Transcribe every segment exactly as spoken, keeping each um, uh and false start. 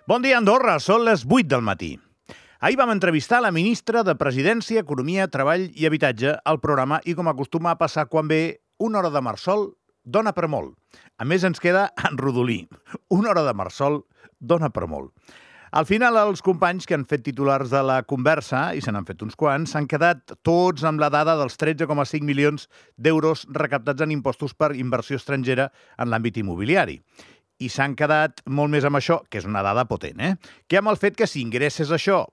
Bon dia, Andorra. Són les vuit del matí. Ahir vam entrevistar la ministra de Presidència, Economia, Treball i Habitatge al programa i, com acostuma a passar quan ve una hora de marsol, dona per molt. A més, ens queda en rodolí. Una hora de marsol dona per molt. Al final, els companys que han fet titulars de la conversa, i se n'han fet uns quants, s'han quedat tots amb la dada dels tretze coma cinc milions d'euros recaptats en impostos per inversió estrangera en l'àmbit immobiliari. I s'han quedat molt més amb això, que és una dada potent, eh? Que amb el fet que si ingresses això,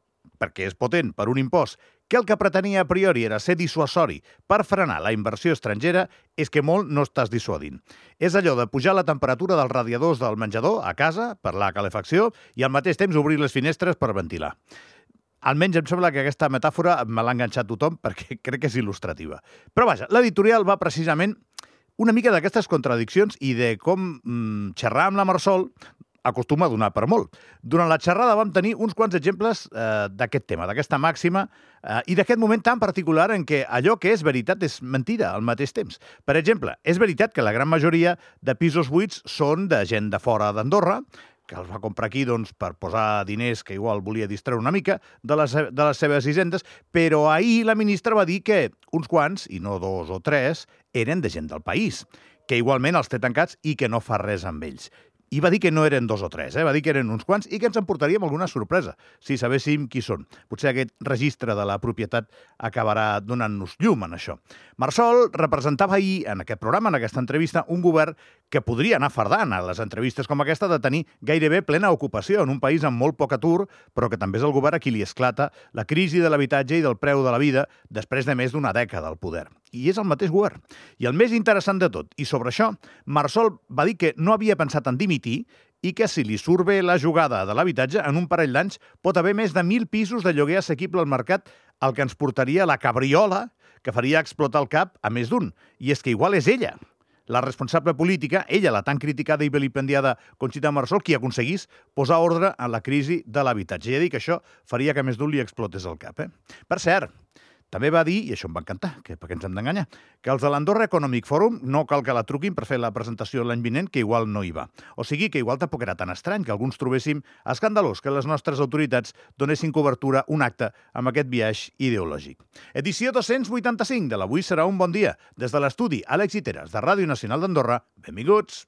perquè és potent, per un impost, que el que pretenia a priori era ser dissuasori per frenar la inversió estrangera, és que molt no estàs dissuadint. És allò de pujar la temperatura dels radiadors del menjador a casa per la calefacció i al mateix temps obrir les finestres per ventilar. Almenys em sembla que aquesta metàfora me l'ha enganxat tothom perquè crec que és il·lustrativa. Però vaja, l'editorial va precisament una mica d'aquestes contradiccions i de com mm, xerrar amb la Marsol acostuma a donar per molt. Durant la xerrada vam tenir uns quants exemples eh, d'aquest tema, d'aquesta màxima, eh, i d'aquest moment tan particular en què allò que és veritat és mentida al mateix temps. Per exemple, és veritat que la gran majoria de pisos buits són de gent de fora d'Andorra, que els va comprar aquí doncs, per posar diners que igual volia distreure una mica de les, de les seves hisendes, però ahir la ministra va dir que uns quants, i no dos o tres, eren de gent del país, que igualment els té tancats i que no fa res amb ells. I va dir que no eren dos o tres, eh? Va dir que eren uns quants i que ens emportaríem alguna sorpresa si sabéssim qui són. Potser aquest registre de la propietat acabarà donant-nos llum en això. Marsol representava ahir en aquest programa, en aquesta entrevista, un govern que podria anar fardant a les entrevistes com aquesta de tenir gairebé plena ocupació en un país amb molt poc atur, però que també és el govern a qui li esclata la crisi de l'habitatge i del preu de la vida després de més d'una dècada al poder. I és el mateix govern. I el més interessant de tot, i sobre això, Marsol va dir que no havia pensat en dimitir i que si li surt bé la jugada de l'habitatge, en un parell d'anys pot haver més de mil pisos de lloguer assequible al mercat, el que ens portaria la cabriola que faria explotar el cap a més d'un. I és que igual és ella, la responsable política, ella, la tan criticada i vilipendiada Conxita Marsol, qui aconseguís posar ordre en la crisi de l'habitatge. I ha dit que això faria que a més d'un li explotés el cap. Eh? Per cert, també va dir, i això em va encantar, que per què ens hem d'enganyar, que els de l'Andorra Economic Forum no cal que la truquin per fer la presentació l'any vinent, que igual no hi va. O sigui que igual tampoc era tan estrany que alguns trobéssim escandalós que les nostres autoritats donessin cobertura a un acte amb aquest biaix ideològic. Edició dos-cents vuitanta-cinc de l'Avui serà un bon dia. Des de l'estudi Àlex Iteres, de Ràdio Nacional d'Andorra, benvinguts!